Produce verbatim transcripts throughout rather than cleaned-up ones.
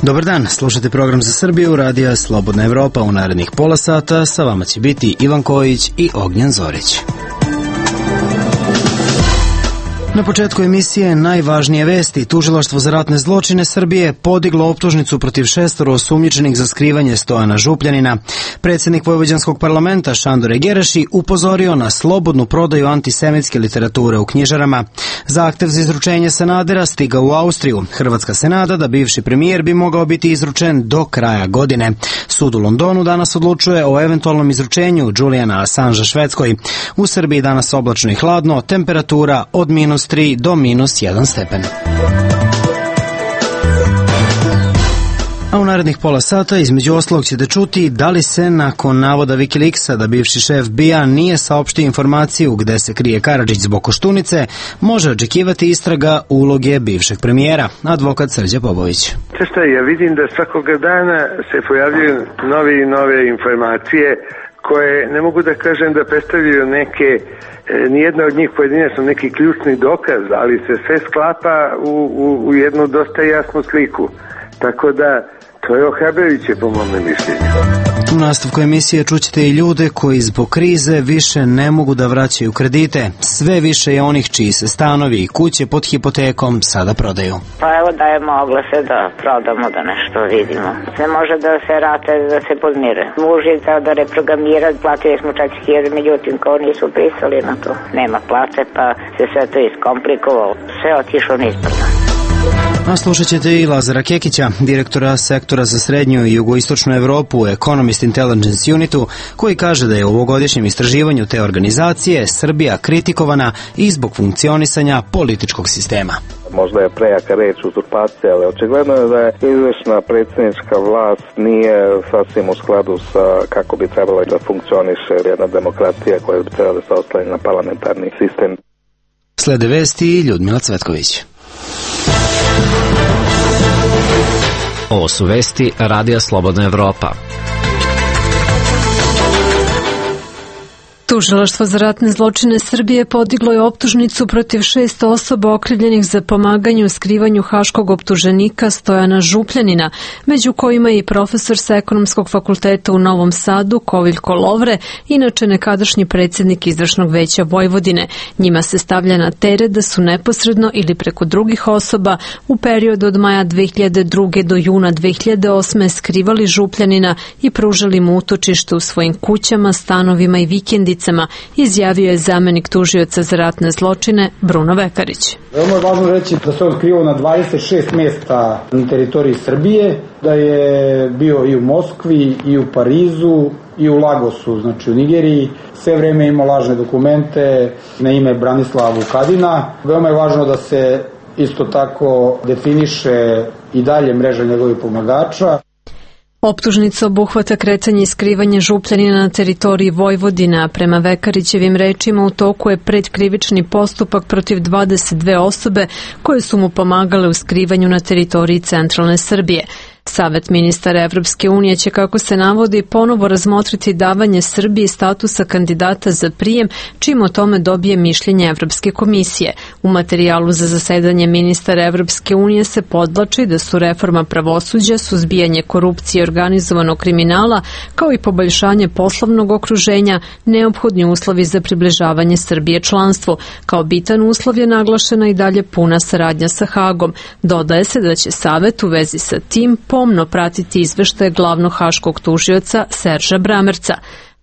Dobar dan, slušate program za Srbiju, radija Slobodna Evropa. U narednih pola sata sa vama će biti Ivan Kojić i Ognjen Zorić. Na početku emisije najvažnije vesti. Tužilaštvo za ratne zločine Srbije podiglo optužnicu protiv šestoro osumnjičenih za skrivanje Stojana Župljanina. Predsjednik Vojvođanskog parlamenta Šandor Egereši upozorio na slobodnu prodaju antisemitske literature u knjižarama. Zahtev za izručenje Sanadera stigao u Austriju. Hrvatska se nada da bivši premijer bi mogao biti izručen do kraja godine. Sud u Londonu danas odlučuje o eventualnom izručenju Juliana Assangea Švedskoj. U Srbiji danas oblačno i hladno, temperatura od minus tri do minus jedan stepen. A u narednih pola sata između ostalog ćete čuti da li se nakon navoda Wikileaksa da bivši šef B I A nije saopštio informaciju gde se krije Karadžić zbog Koštunice, može očekivati istraga uloge bivšeg premijera. Advokat Srđan Popović. Šta ja vidim da svakoga dana se pojavljuju nove i nove informacije koje ne mogu da kažem da predstavljaju neke, nijedna od njih pojedinačno neki ključni dokaz, ali se sve sklapa u, u, u jednu dosta jasnu sliku. Tako da to je ohrabrujuće po mome mišljenju. U nastavku emisije čućete i ljude koji zbog krize više ne mogu da vraćaju kredite. Sve više je onih čiji se stanovi i kuće pod hipotekom sada prodaju. Pa evo dajemo oglase da prodamo, da nešto vidimo. Ne može da se rate, da se podmire. Muž je teo da reprogramira, platili smo četiri hiljade, međutim kao nisu pristali na to. Nema plate pa se sve to iskomplikovalo. Sve otišlo nizbrdo. A slušat ćete i Lazara Kekića, direktora sektora za srednju i jugoistočnu Evropu u Economist Intelligence Unitu, koji kaže da je u ovogodišnjem istraživanju te organizacije Srbija kritikovana i zbog funkcionisanja političkog sistema. Možda je prejaka reč uzurpacija, ali očigledno je da je izvršna predsjednička vlast nije sasvim u skladu sa kako bi trebalo da funkcioniše jedna demokratija koja bi trebala da se oslanja na parlamentarni sistem. Slede vesti Ljudmila Cvetković. Ovo su vesti Radija Slobodna Evropa. Tužilaštvo za ratne zločine Srbije podiglo je optužnicu protiv šest osoba okrivljenih za pomaganje u skrivanju haškog optuženika Stojana Župljanina, među kojima je i profesor sa Ekonomskog fakulteta u Novom Sadu Koviljko Lovre, inače nekadašnji predsjednik Izvršnog veća Vojvodine. Njima se stavlja na teret da su neposredno ili preko drugih osoba u periodu od maja dve hiljade druge do juna dve hiljade osme skrivali Župljanina i pružali mu utočište u svojim kućama, stanovima i vikendicama, izjavio je zamenik tužioca za ratne zločine Bruno Vekarić. Veoma je važno reći da se on skrivao na dvadeset šest mesta na teritoriji Srbije, da je bio i u Moskvi, i u Parizu, i u Lagosu, znači u Nigeriji. Sve vreme imao lažne dokumente na ime Branislava Vukadina. Veoma je važno da se isto tako definiše i dalje mreža njegovih pomagača. Optužnica obuhvata kretanje i skrivanje Župljanina na teritoriji Vojvodina. Prema Vekarićevim rečima u toku je predkrivični postupak protiv dvadeset dve osobe koje su mu pomagale u skrivanju na teritoriji centralne Srbije. Savet ministara Evropske unije će, kako se navodi, ponovo razmotriti davanje Srbiji statusa kandidata za prijem, čim o tome dobije mišljenje Evropske komisije. U materijalu za zasedanje ministara Evropske unije se podvlači da su reforma pravosuđa, suzbijanje korupcije i organizovanog kriminala, kao i poboljšanje poslovnog okruženja, neophodni uslovi za približavanje Srbije članstvu. Kao bitan uslov je naglašena i dalje puna saradnja sa Hagom. Dodaje se da će Savet u vezi sa tim pomno pratiti izveštaje glavnog haškog tužioca Serža Bramerca.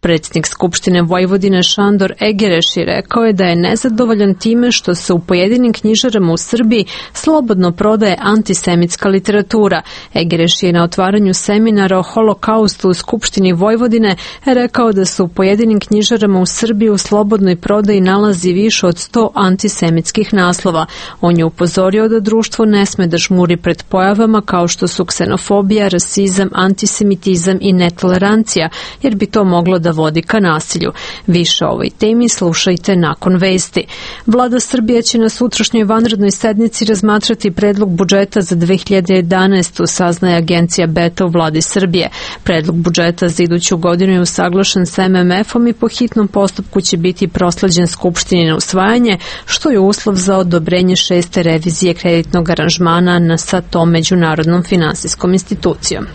Predsjednik Skupštine Vojvodine Šandor Egereši rekao je da je nezadovoljan time što se u pojedinim knjižarama u Srbiji slobodno prodaje antisemitska literatura. Egereši je na otvaranju seminara o holokaustu u Skupštini Vojvodine rekao da se u pojedinim knjižarama u Srbiji u slobodnoj prodaji nalazi više od sto antisemitskih naslova. On je upozorio da društvo ne sme da žmuri pred pojavama kao što su ksenofobija, rasizam, antisemitizam i netolerancija, jer bi to moglo da da vodi ka nasilju. Više o ovoj temi slušajte nakon vesti. Vlada Srbije će na sutrašnjoj vanrednoj sednici razmatrati predlog budžeta za dve hiljade jedanaestu, saznaje agencija Beta u vladi Srbije. Predlog budžeta za iduću godinu je usaglašen sa em em efom i po hitnom postupku će biti prosleđen Skupštini na usvajanje, što je uslov za odobrenje šeste revizije kreditnog aranžmana na sa tom međunarodnom finansijskom institucijom.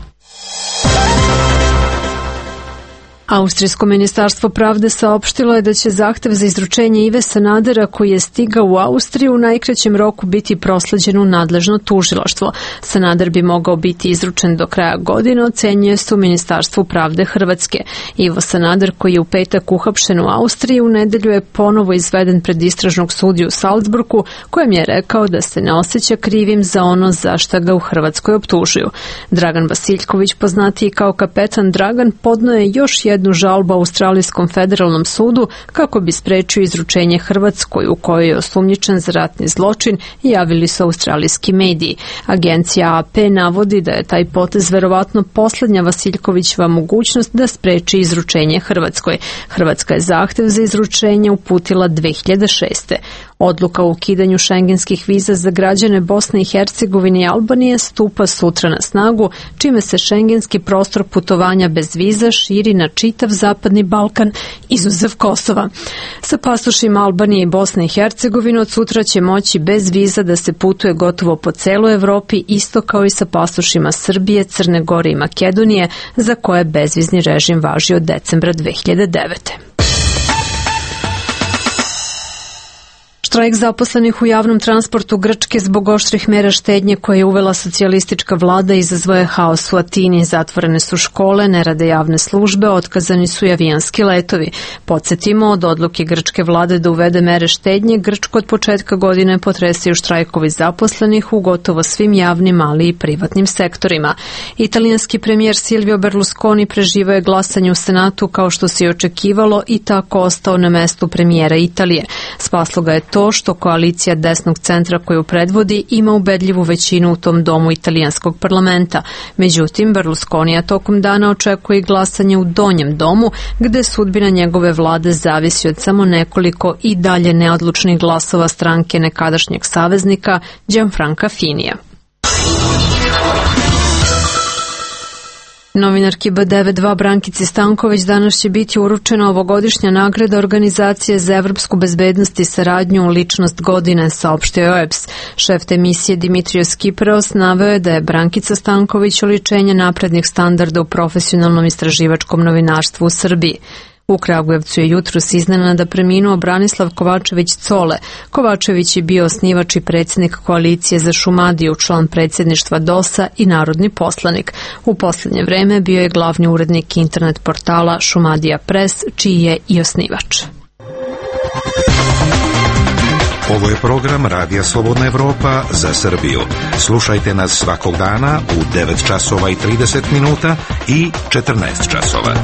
Austrijsko ministarstvo pravde saopštilo je da će zahtev za izručenje Ive Sanadera koji je stigao u Austriju u najkraćem roku biti prosleđen u nadležno tužilaštvo. Sanader bi mogao biti izručen do kraja godine, ocenjuje se u Ministarstvu pravde Hrvatske. Ivo Sanader, koji je u petak uhapšen u Austriji, u nedelju je ponovo izveden pred istražnog sudiju u Salzburgu, kojem je rekao da se ne osjeća krivim za ono za šta ga u Hrvatskoj optužuju. Dragan Vasiljković, poznatiji kao kapetan Dragan, podneo je još jednu jednu žalbu Australijskom federalnom sudu kako bi sprečio izručenje Hrvatskoj u kojoj je osumnjičen za ratni zločin i javili su australijski mediji. Agencija A P navodi da je taj potez verovatno poslednja Vasiljkovićeva mogućnost da spreči izručenje Hrvatskoj. Hrvatska je zahtev za izručenje uputila dve hiljade šeste. Odluka o ukidanju šengenskih viza za građane Bosne i Hercegovine i Albanije stupa sutra na snagu, čime se šengenski prostor putovanja bez viza širi na čitav zapadni Balkan, izuzev Kosova. Sa pasošima Albanije i Bosne i Hercegovine od sutra će moći bez viza da se putuje gotovo po celoj Evropi, isto kao i sa pasošima Srbije, Crne Gore i Makedonije, za koje bezvizni režim važi od decembra dve hiljade devete. Štrajk zaposlenih u javnom transportu Grčke zbog oštrih mera štednje koje je uvela socijalistička vlada izazvao je haos u Atini. Zatvorene su škole, ne rade javne službe, otkazani su i avijanski letovi. Podsjetimo, od odluke grčke vlade da uvede mere štednje, Grčku od početka godine potresaju štrajkovi zaposlenih u gotovo svim javnim, ali i privatnim sektorima. Italijanski premijer Silvio Berlusconi preživao je glasanje u Senatu kao što se i očekivalo i tako ostao na mestu premijera Italije. Spaslo ga je to što koalicija desnog centra koju predvodi ima ubedljivu većinu u tom domu italijanskog parlamenta. Međutim, Berlusconija tokom dana očekuje glasanje u donjem domu, gde sudbina njegove vlade zavisi od samo nekoliko i dalje neodlučnih glasova stranke nekadašnjeg saveznika Gianfranca Finija. Novinarki B devet dva Brankici Stanković danas će biti uručena ovogodišnja nagrada Organizacije za evropsku bezbednost i saradnju u ličnost godine, saopštio je O E B S. Šef te emisije Dimitrios Kiperos naveo je da je Brankica Stanković oličenje naprednih standarda u profesionalnom istraživačkom novinarstvu u Srbiji. U Kragujevcu je jutros iznenada preminuo Branislav Kovačević Cole. Kovačević je bio osnivač i predsjednik koalicije za Šumadiju, član predsjedništva D O S-a i narodni poslanik. U poslednje vreme bio je glavni urednik internet portala Šumadija Press, čiji je i osnivač. Ovo je program Radija Slobodna Evropa za Srbiju. Slušajte nas svakog dana u devet časova i trideset minuta i četrnaest časova.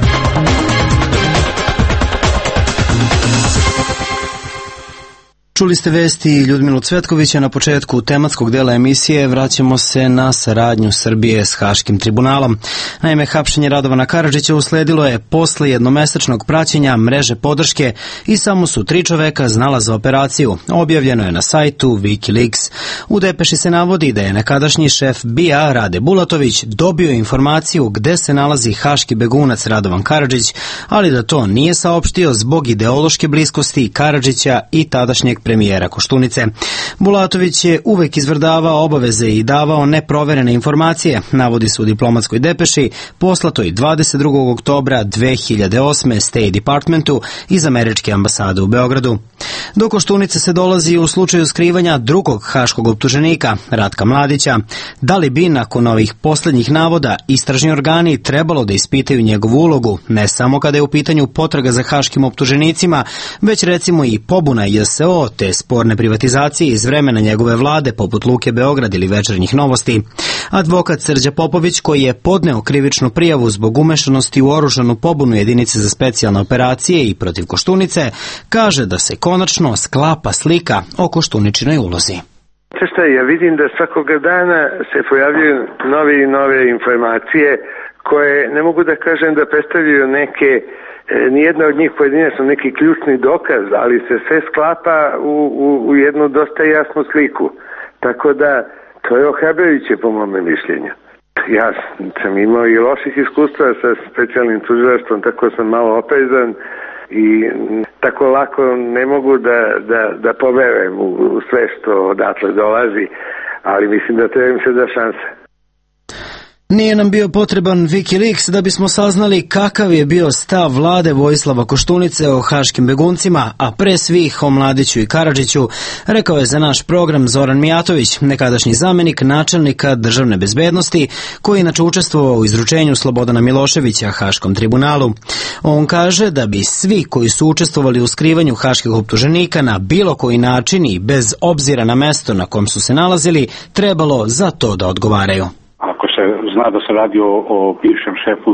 Čuli ste vesti Ljudmilu Cvetkovića. Na početku tematskog dela emisije vraćamo se na saradnju Srbije s Haškim tribunalom. Naime, hapšenje Radovana Karadžića usledilo je posle jednomesečnog praćenja mreže podrške i samo su tri čoveka znala za operaciju. Objavljeno je na sajtu Wikileaks. U depeši se navodi da je nekadašnji šef B I A Rade Bulatović dobio informaciju gde se nalazi haški begunac Radovan Karadžić, ali da to nije saopštio zbog ideološke bliskosti Karadžića i tadašnjeg premijera Koštunice. Bulatović je uvek izvrdavao obaveze i davao neproverene informacije, navodi se u diplomatskoj depeši poslatoj dvadeset drugog oktobra dve hiljade osme. State Departmentu iz američke ambasade u Beogradu. Do Koštunice se dolazi u slučaju skrivanja drugog haškog optuženika, Ratka Mladića. Da li bi nakon ovih poslednjih navoda istražni organi trebalo da ispitaju njegovu ulogu, ne samo kada je u pitanju potraga za haškim optuženicima, već recimo i pobuna J S O te sporne privatizacije iz vremena njegove vlade poput Luke Beograd ili Večernjih novosti. Advokat Srđa Popović, koji je podneo krivičnu prijavu zbog umešanosti u oružanu pobunu jedinice za specijalne operacije i protiv Koštunice, kaže da se konačno sklapa slika o Koštuničinoj ulozi. Šta, ja vidim da svakoga dana se pojavljaju nove i nove informacije koje ne mogu da kažem da predstavljaju neke nijedna od njih pojedinačno neki ključni dokaz, ali se sve sklapa u, u, u jednu dosta jasnu sliku. Tako da, to je ohrabrujuće po mome mišljenju. Ja sam imao i loših iskustva sa specijalnim tužilaštvom, tako sam malo oprezan i tako lako ne mogu da, da, da poverujem u, u sve što odatle dolazi, ali mislim da treba im se da šanse. Nije nam bio potreban Wikileaks da bismo saznali kakav je bio stav vlade Vojislava Koštunice o haškim beguncima, a pre svih o Mladiću i Karadžiću, rekao je za naš program Zoran Mijatović, nekadašnji zamenik načelnika državne bezbednosti, koji inače učestvovao u izručenju Slobodana Miloševića Haškom tribunalu. On kaže da bi svi koji su učestvovali u skrivanju haških optuženika na bilo koji način i bez obzira na mesto na kom su se nalazili, trebalo za to da odgovaraju. Ako se zna da se radi o, o bivšem šefu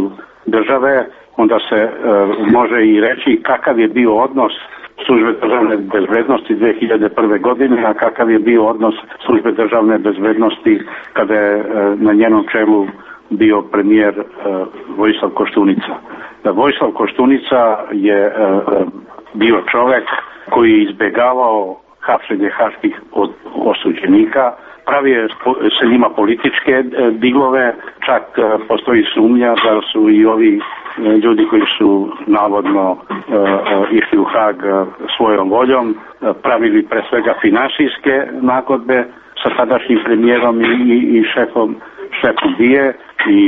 države, onda se e, može i reći kakav je bio odnos službe državne bezbednosti dve hiljade prve. godine, a kakav je bio odnos službe državne bezbednosti kada je e, na njenom čelu bio premijer e, Vojislav Koštunica. Da Vojislav Koštunica je e, bio čovek koji je izbegavao hapšenje haških osuđenika, pravio se njima političke diglove, čak postoji sumnja da su i ovi ljudi koji su navodno uh, išli u Hag svojom voljom, pravili pre svega finansijske nagodbe sa tadašnjim premijerom i, i, i šefom, šefom B I A i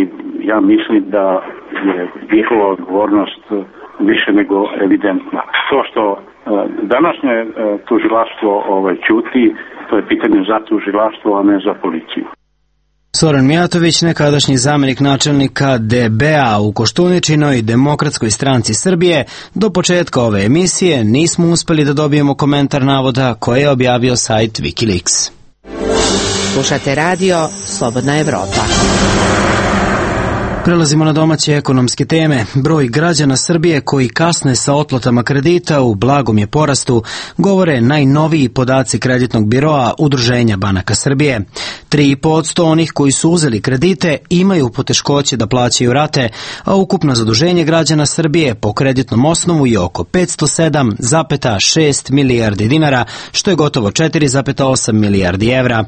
ja mislim da je njihova odgovornost više nego evidentna. To što uh, današnje uh, tužilaštvo ovaj, ćuti, to je pitanje za tužilaštvo, a ne za policiju. Zoran Mijatović, nekadašnji zamenik načelnika D B A u Koštuničinoj Demokratskoj stranci Srbije. Do početka ove emisije nismo uspeli da dobijemo komentar navoda koje je objavio sajt Wikileaks. Slušate radio Slobodna Evropa. Prelazimo na domaće ekonomske teme. Broj građana Srbije koji kasne sa otplatama kredita u blagom je porastu, govore najnoviji podaci kreditnog biroa Udruženja banaka Srbije. tri i po posto onih koji su uzeli kredite imaju poteškoće da plaćaju rate, a ukupno zaduženje građana Srbije po kreditnom osnovu je oko petsto sedam zarez šest milijardi dinara, što je gotovo četiri zarez osam milijardi evra.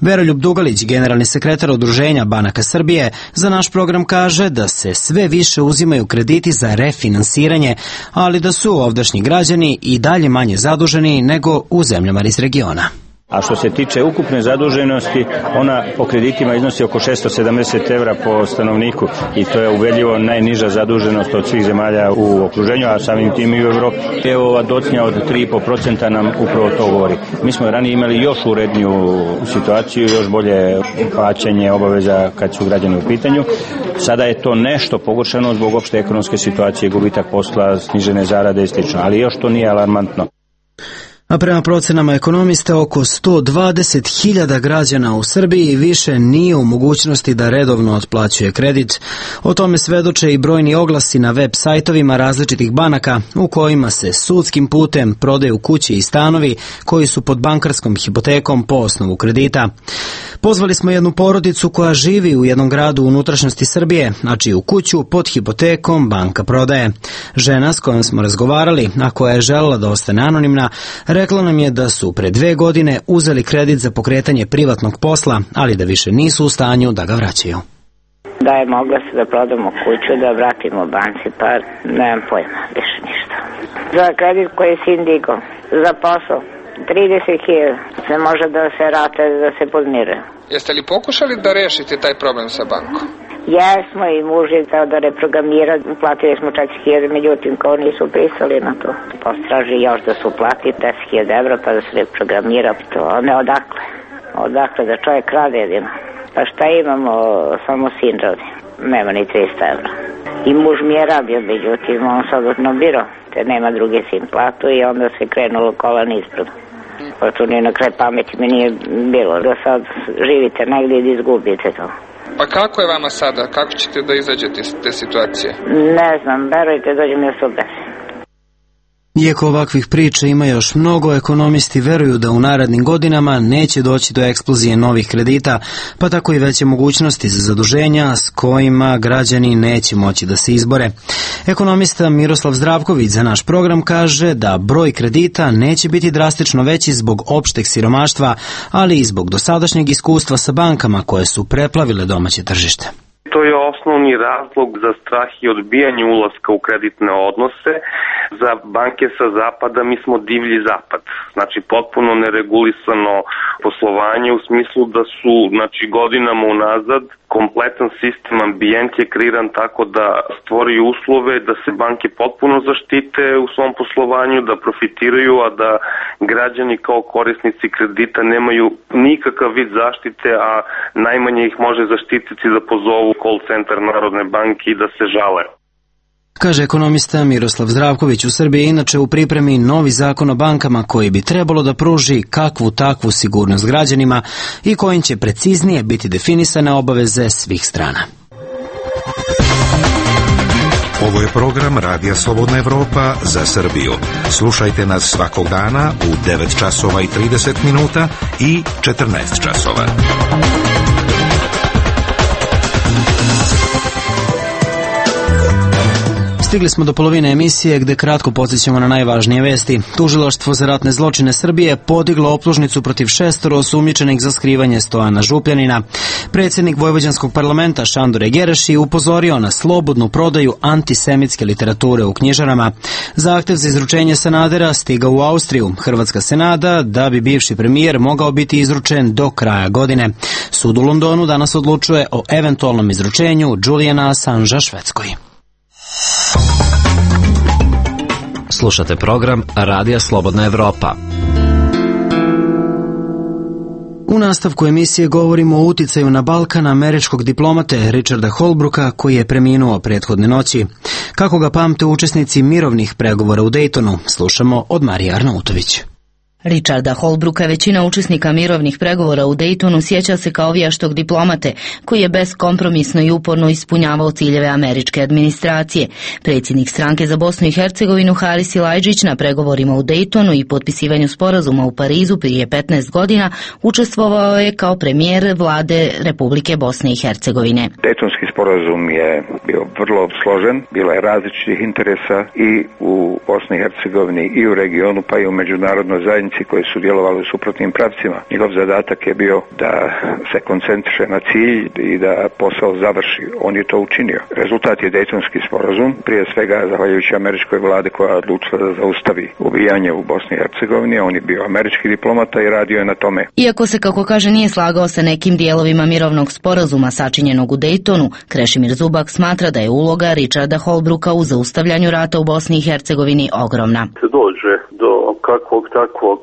Veroljub Dugalić, generalni sekretar Udruženja banaka Srbije, za naš program kaže da se sve više uzimaju krediti za refinansiranje, ali da su ovdašnji građani i dalje manje zaduženi nego u zemljama iz regiona. A što se tiče ukupne zaduženosti, ona po kreditima iznosi oko šesto sedamdeset evra po stanovniku i to je ubedljivo najniža zaduženost od svih zemalja u okruženju, a samim tim i u Evropi. Evo ova docnja od tri i po posto nam upravo to govori. Mi smo ranije imali još uredniju situaciju, još bolje plaćanje obaveza kad su građani u pitanju. Sada je to nešto pogoršano zbog opšte ekonomske situacije, gubitak posla, snižene zarade i slično, ali još to nije alarmantno. A prema procenama ekonomista, oko sto dvadeset hiljada građana u Srbiji više nije u mogućnosti da redovno otplaćuje kredit. O tome svedoče i brojni oglasi na web sajtovima različitih banaka u kojima se sudskim putem prodaju kuće i stanovi koji su pod bankarskom hipotekom po osnovu kredita. Pozvali smo jednu porodicu koja živi u jednom gradu u unutrašnjosti Srbije, a čiju kuću pod hipotekom banka prodaje. Žena s kojom smo razgovarali, a koja je želela da ostane anonimna, rekla nam je da su pre dve godine uzeli kredit za pokretanje privatnog posla, ali da više nisu u stanju da ga vraćaju. Da je mogla se da prodamo kuću, da vratimo banci, pa nemam pojma, više ništa. Za kredit koji si indigo, za posao, trideset hiljada se može da se rate, da se podmire. Jeste li pokušali da rešite taj problem sa bankom? Jesmo i muž je tao da reprogramira, platili smo četiri hiljade, međutim kao nisu pristali na to. Postraži još da su platili deset hiljada evra pa da se reprogramira to, ne odakle. Odakle da čovjek rade jedino. Pa šta imamo, samo sin radi, nema ni trista evra. I muž mi je radio, međutim on sad odnobiro, te nema drugi sin platu i onda se krenulo kolan ispred. Pa tu ni na kraj pameti mi nije bilo da sad živite negdje i izgubite to. Pa kako je vama sada? Kako ćete da izađete iz te situacije? Ne znam, verujte, dođem ja se obesim. Iako ovakvih priča ima još mnogo, ekonomisti veruju da u narednim godinama neće doći do eksplozije novih kredita, pa tako i veće mogućnosti za zaduženja s kojima građani neće moći da se izbore. Ekonomista Miroslav Zdravković za naš program kaže da broj kredita neće biti drastično veći zbog opšteg siromaštva, ali i zbog dosadašnjeg iskustva sa bankama koje su preplavile domaće tržište. To je osnovni razlog za strah i odbijanje ulaska u kreditne odnose. Za banke sa zapada mi smo divlji zapad, znači potpuno neregulisano poslovanje u smislu da su znači, godinama unazad kompletan sistem, ambijent je kreiran tako da stvori uslove da se banke potpuno zaštite u svom poslovanju, da profitiraju, a da građani kao korisnici kredita nemaju nikakav vid zaštite, a najmanje ih može zaštititi da pozovu call centar Narodne banke i da se žale. Kaže ekonomista Miroslav Zdravković. U Srbiji je inače u pripremi novi zakon o bankama koji bi trebalo da pruži kakvu takvu sigurnost građanima i kojim će preciznije biti definisane obaveze svih strana. Ovo je program Radija Slobodna Evropa za Srbiju. Slušajte nas svakog dana u devet časova i trideset minuta i četrnaest časova. Stigli smo do polovine emisije gde kratko podsjećamo na najvažnije vesti. Tužilaštvo za ratne zločine Srbije podiglo optužnicu protiv šestoro osumnjičenih za skrivanje Stojana Župljanina. Predsjednik Vojvođanskog parlamenta Šandor Gereši upozorio na slobodnu prodaju antisemitske literature u knjižarama. Zahtev za izručenje Sanadera stigao u Austriju. Hrvatska se nada da bi bivši premijer mogao biti izručen do kraja godine. Sud u Londonu danas odlučuje o eventualnom izručenju Juliana Assangea Švedskoj. Slušate program Radija Slobodna Evropa. U nastavku emisije govorimo o uticaju na Balkan američkog diplomate Richarda Holbrooka koji je preminuo prethodne noći. Kako ga pamte učesnici mirovnih pregovora u Daytonu, slušamo od Marije Arnautović. Richarda Holbrooka većina učesnika mirovnih pregovora u Daytonu sjeća se kao vijaštog diplomate koji je beskompromisno i uporno ispunjavao ciljeve američke administracije. Predsjednik stranke za Bosnu i Hercegovinu Haris Silajdžić na pregovorima u Daytonu i potpisivanju sporazuma u Parizu prije petnaest godina učestvovao je kao premijer vlade Republike Bosne i Hercegovine. Daytonski sporazum je bio vrlo složen, bilo je različitih interesa i u Bosni i Hercegovini i u regionu pa i u međunarodnoj zajednici koji su djelovali u suprotnim pravcima. Njegov zadatak je bio da se koncentriše na cilj i da posao završi. On je to učinio. Rezultat je Dejtonski sporazum, prije svega zahvaljujući američkoj vlade koja je odlučila da zaustavi ubijanje u Bosni i Hercegovini. On je bio američki diplomata i radio je na tome. Iako se, kako kaže, nije slagao sa nekim dijelovima mirovnog sporazuma sačinjenog u Dejtonu, Krešimir Zubak smatra da je uloga Richarda Holbrooka u zaustavljanju rata u Bosni i Hercegovini ogromna. Se dođe do kakvog takvog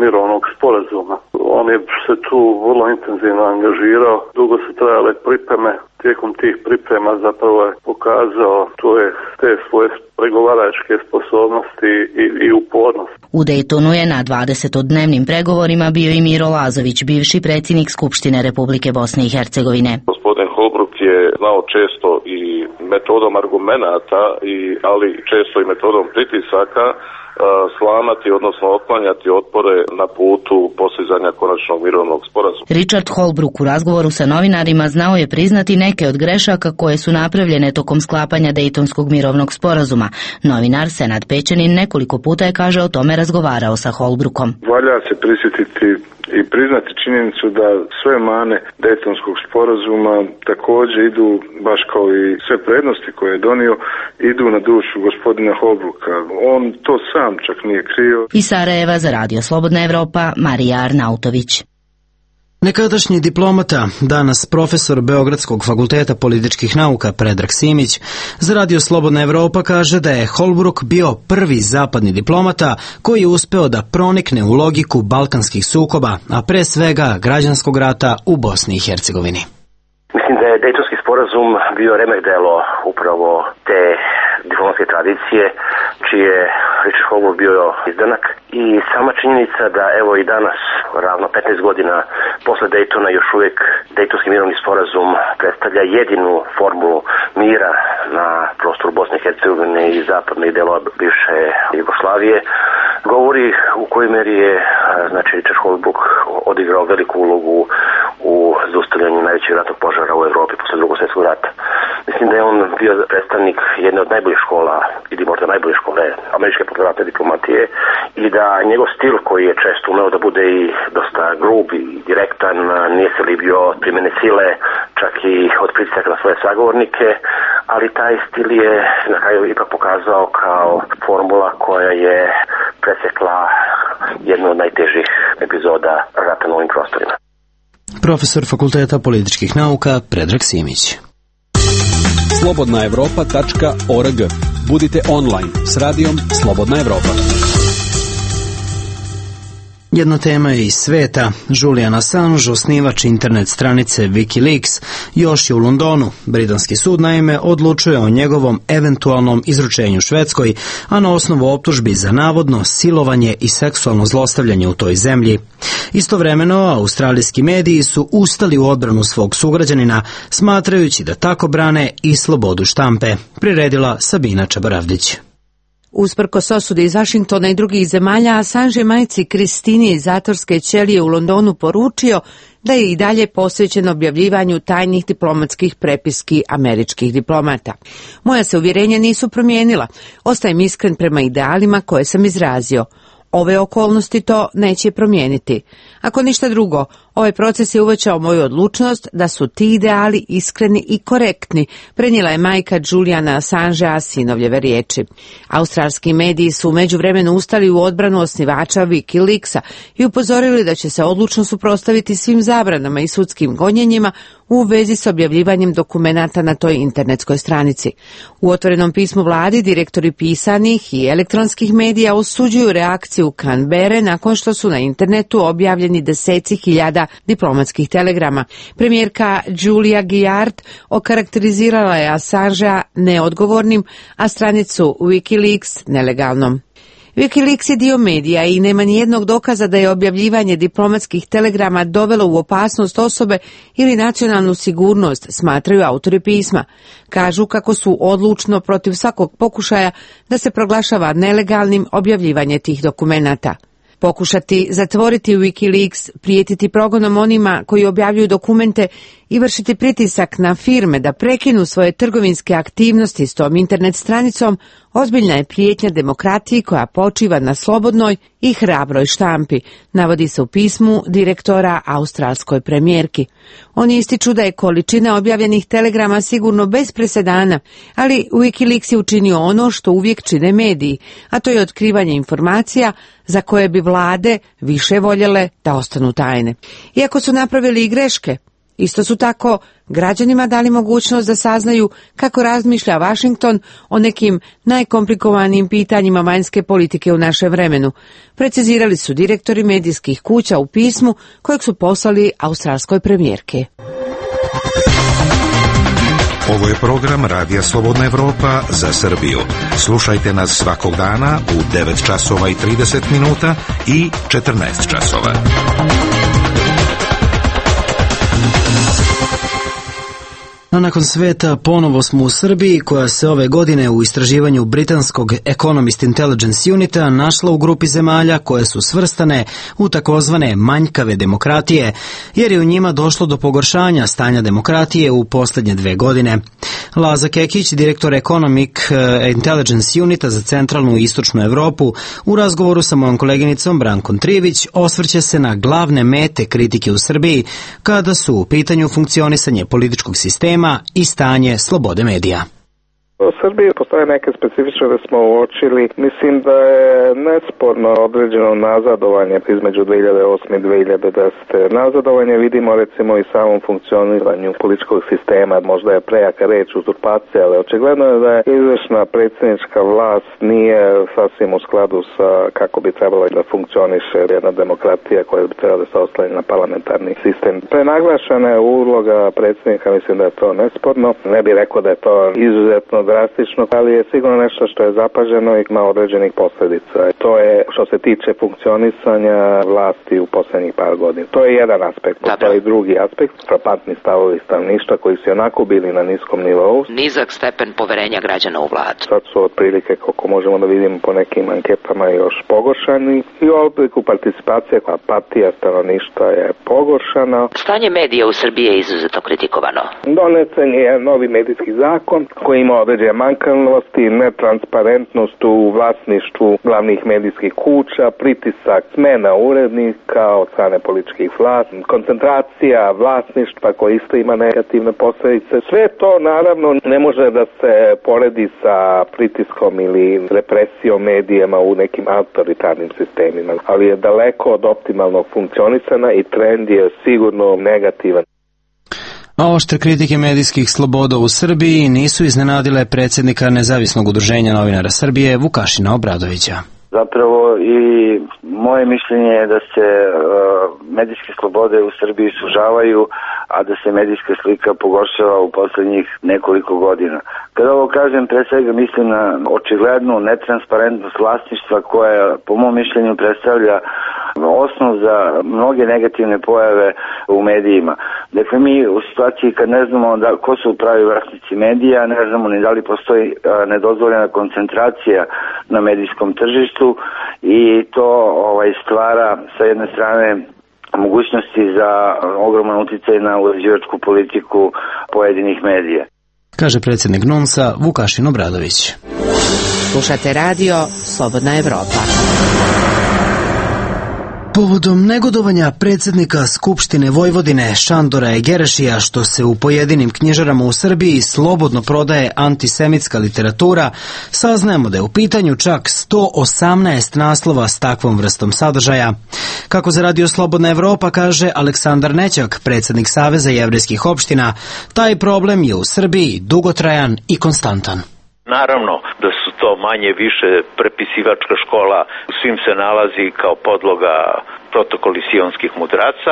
mirovnog sporazuma. On je se tu vrlo intenzivno angažirao, dugo su trajale pripreme, tijekom tih priprema zapravo je pokazao to je te svoje pregovaračke sposobnosti i, i upornost. U Dejtonu je na dvadesetodnevnim pregovorima bio i Miro Lazović, bivši predsjednik Skupštine Republike Bosne i Hercegovine. Gospodin Holbrook je znao često i metodom argumenata, i, ali često i metodom pritisaka slamati, odnosno otklanjati otpore na putu postizanja konačnog mirovnog sporazuma. Richard Holbrooke u razgovoru sa novinarima znao je priznati neke od grešaka koje su napravljene tokom sklapanja Dejtonskog mirovnog sporazuma. Novinar Senad Pećanin nekoliko puta je, kaže, o tome razgovarao sa Holbrookom. Valja se prisjetiti i priznati činjenicu da sve mane Dejtonskog sporazuma također idu, baš kao i sve prednosti koje je donio, idu na dušu gospodina Holbrooka. On to sam čak nije krio. Iz Sarajeva za Radio Slobodna Evropa, Marija Arnautović. Nekadašnji diplomata, danas profesor Beogradskog fakulteta političkih nauka Predrag Simić, za Radio Slobodna Evropa kaže da je Holbrooke bio prvi zapadni diplomata koji je uspeo da pronikne u logiku balkanskih sukoba, a pre svega građanskog rata u Bosni i Hercegovini. Mislim da je Dejtonski sporazum bio remek delo upravo te diplomatske tradicije, čiji je Richard Holbrooke bio izdanak, i sama činjenica da evo i danas, ravno petnaest godina posle Dejtona, još uvijek Dejtonski mirovni sporazum predstavlja jedinu formulu mira na prostoru Bosne i Hercegovine i zapadnih delova bivše Jugoslavije, govori u kojoj meri je znači Richard Holbrooke odigrao veliku ulogu u zaustavljanju najvećeg ratnog požara u Evropi posle Drugog svjetskog rata. Mislim da je on bio predstavnik jedne od najboljih škola, ili možda najbolje škole američke popularne diplomatije, i da njegov stil, koji je često umeo da bude i dosta grub i direktan, nije se libio primjene sile, čak i od pritisaka na svoje sagovornike, ali taj stil je na kraju ipak pokazao kao formula koja je presekla jednu od najtežih epizoda rata na ovim prostorima. Profesor Fakulteta političkih nauka Predrag Simić. slobodna evropa tačka org. Budite online s radijom Slobodna Evropa. Jedna tema je iz sveta. Julian Assange, osnivač internet stranice Wikileaks, još je u Londonu. Britanski sud naime odlučuje o njegovom eventualnom izručenju Švedskoj, a na osnovu optužbi za navodno silovanje i seksualno zlostavljanje u toj zemlji. Istovremeno, australijski mediji su ustali u odbranu svog sugrađanina, smatrajući da tako brane i slobodu štampe. Priredila Sabina Čabaravdić. Usprkos osudi iz Vašingtona i drugih zemalja, Assange majci Kristini iz zatvorske ćelije u Londonu poručio da je i dalje posvećen objavljivanju tajnih diplomatskih prepiski američkih diplomata. Moja se uvjerenja nisu promijenila. Ostajem iskren prema idealima koje sam izrazio. Ove okolnosti to neće promijeniti. Ako ništa drugo, ovaj proces je uvećao moju odlučnost da su ti ideali iskreni i korektni, prenijela je majka Juliana Assangea sinovljeve riječi. Australski mediji su u međuvremenu ustali u odbranu osnivača Wikileaksa i upozorili da će se odlučno suprotstaviti svim zabranama i sudskim gonjenjima u vezi s objavljivanjem dokumenata na toj internetskoj stranici. U otvorenom pismu vladi direktori pisanih i elektronskih medija osuđuju reakciju Canberre nakon što su na internetu objavljeni deseci hiljada diplomatskih telegrama. Premijerka Julia Gillard okarakterizirala je Assangea neodgovornim, a stranicu Wikileaks nelegalnom. Wikileaks je dio medija i nema nijednog dokaza da je objavljivanje diplomatskih telegrama dovelo u opasnost osobe ili nacionalnu sigurnost, smatraju autori pisma. Kažu kako su odlučno protiv svakog pokušaja da se proglašava nelegalnim objavljivanje tih dokumenata. Pokušati zatvoriti Wikileaks, prijetiti progonom onima koji objavljuju dokumente i vršiti pritisak na firme da prekinu svoje trgovinske aktivnosti s tom internet stranicom ozbiljna je prijetnja demokratiji koja počiva na slobodnoj i hrabroj štampi, navodi se u pismu direktora australskoj premijerki. Oni ističu da je količina objavljenih telegrama sigurno bez presedana, ali Wikileaks je učinio ono što uvijek čine mediji, a to je otkrivanje informacija za koje bi vlade više voljele da ostanu tajne. Iako su napravili i greške, isto su tako građanima dali mogućnost da saznaju kako razmišlja Washington o nekim najkomplikovanijim pitanjima vanjske politike u našem vremenu, precizirali su direktori medijskih kuća u pismu kojeg su poslali australskoj premijerke. Ovo je program Radija Slobodna Evropa za Srbiju. Slušajte nas svakog dana u devet časova i trideset minuta i četrnaest časova. A nakon sveta ponovo smo u Srbiji, koja se ove godine u istraživanju britanskog Economist Intelligence Unita našla u grupi zemalja koje su svrstane u takozvane manjkave demokratije, jer je u njima došlo do pogoršanja stanja demokratije u posljednje dve godine. Laza Kekić, direktor Economic Intelligence Unita za centralnu i istočnu Evropu, u razgovoru sa mojom koleginicom Brankom Trivić osvrće se na glavne mete kritike u Srbiji kada su u pitanju funkcionisanje političkog sistema i stanje slobode medija. U Srbiji postoje neke specifične da smo uočili. Mislim da je nesporno određeno nazadovanje između dve hiljade osme i dve hiljade desete. Nazadovanje vidimo recimo i samom funkcioniranju političkog sistema. Možda je prejaka reč uzurpacija, ali očigledno je da je izvršna predsjednička vlast nije sasvim u skladu sa kako bi trebalo da funkcioniše jedna demokratija koja bi trebala da se oslanja na parlamentarni sistem. Prenaglašena je uloga predsjednika, mislim da je to nesporno. Ne bih rekao da je to izuzetno drastično, ali je sigurno nešto što je zapaženo i ima određenih posljedica. To je što se tiče funkcionisanja vlasti u posljednjih par godina. To je jedan aspekt, postoji i drugi aspekt, frapantni stavovi stanovništva koji su onako bili na niskom nivou. Nizak stepen poverenja građana u vladu. Sad su otprilike, koliko možemo da vidimo po nekim anketama, još pogoršani i u obliku participacije, apatija stanovništva je pogoršana. Stanje medija u Srbiji je izuzetno kritikovano. Donesen je novi medijski zakon koji ima određene manjkavosti, netransparentnost u vlasništvu glavnih medijskih kuća, pritisak smena urednika od strane političkih vlasti, koncentracija vlasništva koja isto ima negativne posljedice. Sve to naravno ne može da se poredi sa pritiskom ili represijom medijama u nekim autoritarnim sistemima, ali je daleko od optimalnog funkcionisanja i trend je sigurno negativan. A oštre kritike medijskih sloboda u Srbiji nisu iznenadile predsjednika Nezavisnog udruženja novinara Srbije Vukašina Obradovića. Zapravo i moje mišljenje je da se uh, medijske slobode u Srbiji sužavaju, a da se medijska slika pogoršava u posljednjih nekoliko godina. Kada ovo kažem, pre svega mislim na očiglednu netransparentnost vlasništva koja po mom mišljenju predstavlja osnov za mnoge negativne pojave u medijima. Dakle, mi u situaciji kad ne znamo da, ko su pravi vlasnici medija, ne znamo ni da li postoji a, nedozvoljena koncentracija na medijskom tržištu i to ovaj, stvara sa jedne strane mogućnosti za ogroman uticaj na uređivačku politiku pojedinih medija. Kaže predsjednik N U N S-a Vukašin Obradović. Slušate radio Slobodna Evropa. Povodom negodovanja predsjednika Skupštine Vojvodine Šandora Egerešija što se u pojedinim knjižarama u Srbiji slobodno prodaje antisemitska literatura, saznajemo da je u pitanju čak sto osamnaest naslova s takvom vrstom sadržaja. Kako za radio Slobodna Evropa kaže Aleksandar Nećak, predsjednik Saveza jevrejskih opština, taj problem je u Srbiji dugotrajan i konstantan. Naravno da su to manje više prepisivačka škola, u svim se nalazi kao podloga protokoli sionskih mudraca.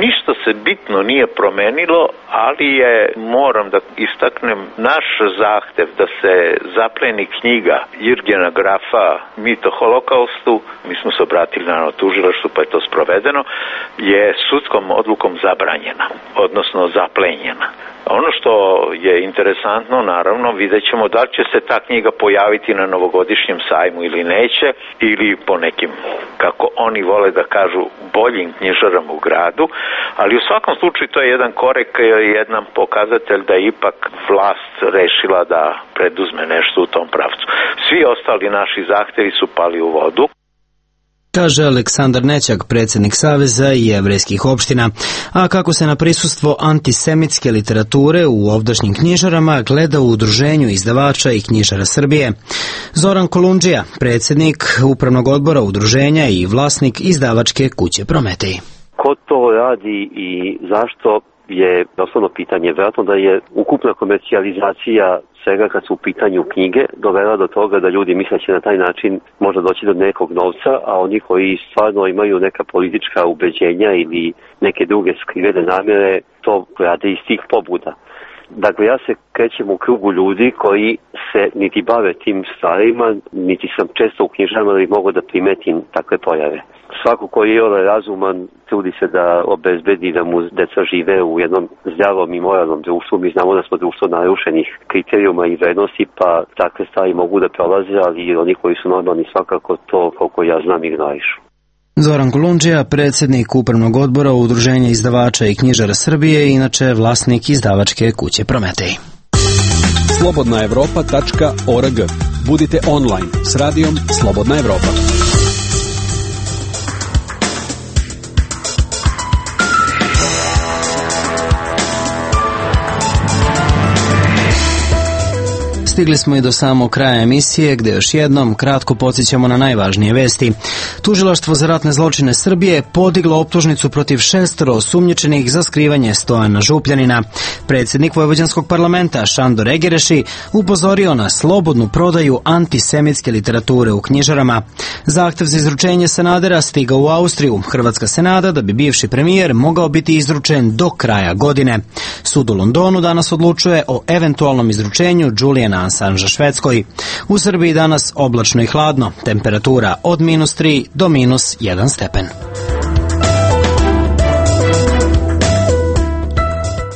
Ništa se bitno nije promenilo, ali je, moram da istaknem, naš zahtev da se zapleni knjiga Jirgena Grafa Mit o holokaustu, mi smo se obratili na tužilaštvu pa je to sprovedeno, je sudskom odlukom zabranjena, odnosno zaplenjena. Ono što je interesantno, naravno, vidjet ćemo da li će se ta knjiga pojaviti na novogodišnjem sajmu ili neće, ili po nekim, kako oni vole da kažu, boljim knjižarama u gradu, ali u svakom slučaju to je jedan korek, jedan pokazatelj da je ipak vlast rešila da preduzme nešto u tom pravcu. Svi ostali naši zahtevi su pali u vodu. Kaže Aleksandar Nećak, predsjednik Saveza jevrejskih opština, a kako se na prisustvo antisemitske literature u ovdašnjim knjižarama gleda u Udruženju izdavača i knjižara Srbije. Zoran Kolundžija, predsjednik Upravnog odbora udruženja i vlasnik izdavačke kuće Prometej. Ko to radi i zašto je osnovno pitanje. Vjerojatno da je ukupna komercijalizacija svega kad su u pitanju knjige dovela do toga da ljudi misle će na taj način možda doći do nekog novca, a oni koji stvarno imaju neka politička ubeđenja ili neke druge skrivene namjere to rade iz tih pobuda. Dakle, ja se krećem u krugu ljudi koji se niti bave tim stvarima, niti sam često u knjižarama da bi mogu da primetim takve pojave. Svako koji je razuman trudi se da obezbedi da mu deca žive u jednom zdravom i moralnom društvu. Mi znamo da smo društvo narušenih kriterijuma i vrednosti, pa takve stvari mogu da prolaze, ali oni koji su normalni svakako to, koliko ja znam, ignorišu. Zoran Kolundžija, predsjednik Upravnog odbora Udruženja izdavača i knjižara Srbije, inače vlasnik izdavačke kuće Prometej. slobodna evropa tačka org. Budite online s radijom Slobodna Evropa. Stigli smo i do samog kraja emisije, gdje još jednom kratko podsjećamo na najvažnije vesti. Tužilaštvo za ratne zločine Srbije podiglo optužnicu protiv šestoro osumnjičenih za skrivanje Stojana Župljanina. Predsjednik Vojvođanskog parlamenta Šandor Egereši upozorio na slobodnu prodaju antisemitske literature u knjižarama. Zahtev za izručenje Sanadera stigao u Austriju. Hrvatska se nada da bi bivši premijer mogao biti izručen do kraja godine. Sud u Londonu danas odlučuje o eventualnom izručenju Juliana Sanža Švedskoj. U Srbiji danas oblačno i hladno, temperatura od minus tri do minus jedan stepen.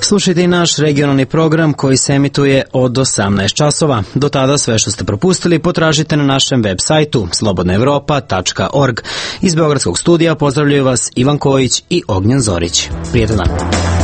Slušajte i naš regionalni program koji se emituje od osamnaest časova. Do tada sve što ste propustili potražite na našem web sajtu slobodna evropa tačka org. Iz Beogradskog studija pozdravljaju vas Ivan Kojić i Ognjen Zorić. Prijetan dan.